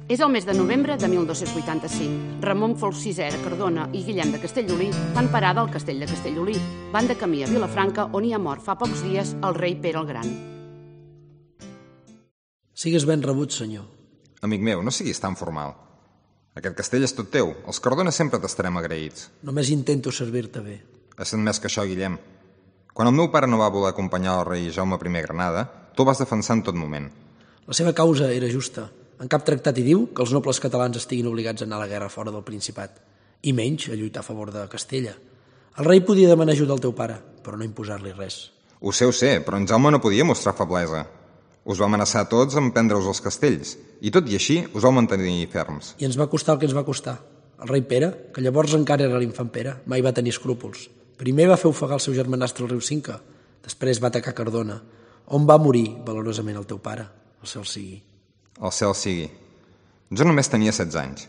És el mes de novembre de 1285. Ramon Folc VI de Cardona i Guillem de Castellolí fan parada al castell de Castellolí. Van de camí a Vilafranca, on hi ha mort fa pocs dies el rei Pere el Gran. Sigues ben rebut, senyor. Amic meu, no siguis tan formal. Aquest castell és tot teu. Els Cardona sempre t'estarem agraïts. Només intento servir-te bé. Has sent més que això, Guillem. Quan el meu pare no va voler acompanyar el rei Jaume I Granada, tu el vas defensar en tot moment. La seva causa era justa. En cap tractat hi diu que els nobles catalans estiguin obligats a anar a la guerra fora del Principat, i menys a lluitar a favor de Castella. El rei podia demanar ajuda al teu pare, però no imposar-li res. Ho sé, però en Jaume no podia mostrar feblesa. Us va amenaçar a tots amb prendre-us els castells, i tot i així us vau mantenir ferms. I ens va costar el que ens va costar. El rei Pere, que llavors encara era l'infant Pere, mai va tenir escrúpols. Primer va fer ofegar el seu germanastre al riu Cinca, després va atacar Cardona, on va morir valorosament el teu pare, el cel sigui. El cel sigui. Jo només tenia 16 anys.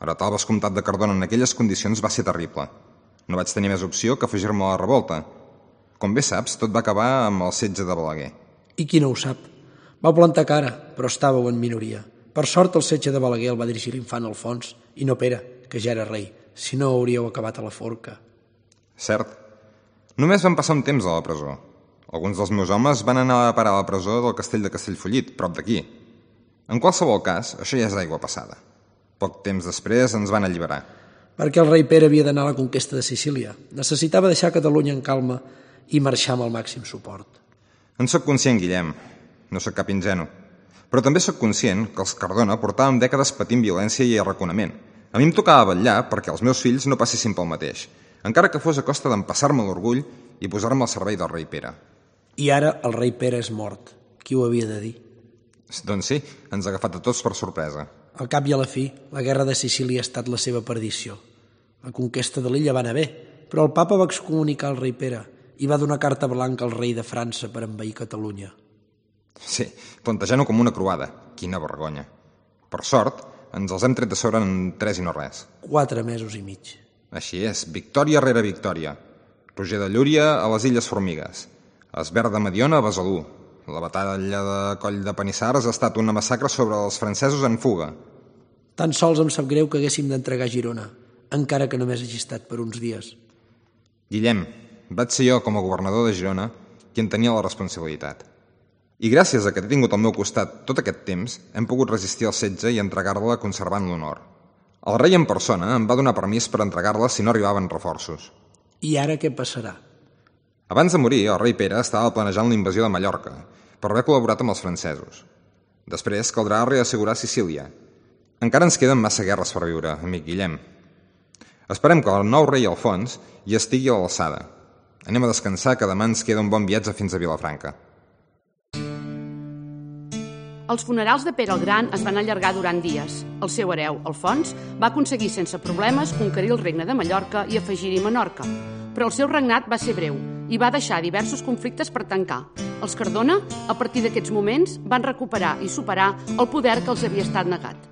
Heretar el vescomtat de Cardona en aquelles condicions va ser terrible. No vaig tenir més opció que afegir-me a la revolta. Com bé saps, tot va acabar amb el setge de Balaguer. I qui no ho sap? Vau plantar cara, però estàveu en minoria. Per sort, el setge de Balaguer el va dirigir l'infant Alfons, i no Pere, que ja era rei. Si no, hauríeu acabat a la forca. Cert. Només vam passar un temps a la presó. Alguns dels meus homes van anar a parar a la presó del castell de Castellfollit, prop d'aquí. En qualsevol cas, això ja és aigua passada. Poc temps després ens van alliberar. Perquè el rei Pere havia d'anar a la conquesta de Sicília. Necessitava deixar Catalunya en calma i marxar amb el màxim suport. En sóc conscient, Guillem. No sóc cap ingenu. Però també sóc conscient que els Cardona portàvem dècades patint violència i arraconament. A mi em tocava vetllar perquè els meus fills no passessin pel mateix, encara que fos a costa d'empassar-me l'orgull i posar-me al servei del rei Pere. I ara el rei Pere és mort. Qui ho havia de dir? Doncs sí, ens ha agafat a tots per sorpresa. Al cap i a la fi, la guerra de Sicília ha estat la seva perdició. La conquesta de l'illa va anar bé, però el papa va excomunicar el rei Pere i va donar carta blanca al rei de França per envair Catalunya. Sí, plantejant-ho com una croada. Quina vergonya. Per sort, ens els hem tret de sobre en 3 i no res. 4 mesos i mig. Així és, victòria rere victòria. Roger de Llúria a les Illes Formigues. Esbert de Mediona a Besalú. La batalla de Coll de Panissars ha estat una massacre sobre els francesos en fuga. Tan sols em sap greu que haguéssim d'entregar Girona, encara que només hagi estat per uns dies. Guillem, vaig ser jo, com a governador de Girona, qui en tenia la responsabilitat. I gràcies a que t'he tingut al meu costat tot aquest temps, hem pogut resistir el setge i entregar-la conservant l'honor. El rei en persona em va donar permís per entregar-la si no arribaven reforços. I ara què passarà? Abans de morir, el rei Pere estava planejant la invasió de Mallorca, per haver col·laborat amb els francesos. Després caldrà reassegurar Sicília. Encara ens queden massa guerres per viure, amic Guillem. Esperem que el nou rei Alfons hi estigui a l'alçada. Anem a descansar, que demà ens queda un bon viatge fins a Vilafranca. Els funerals de Pere el Gran es van allargar durant dies. El seu hereu, Alfons, va aconseguir sense problemes conquerir el regne de Mallorca i afegir-hi Menorca. Però el seu regnat va ser breu i va deixar diversos conflictes per tancar. Els Cardona, a partir d'aquests moments, van recuperar i superar el poder que els havia estat negat.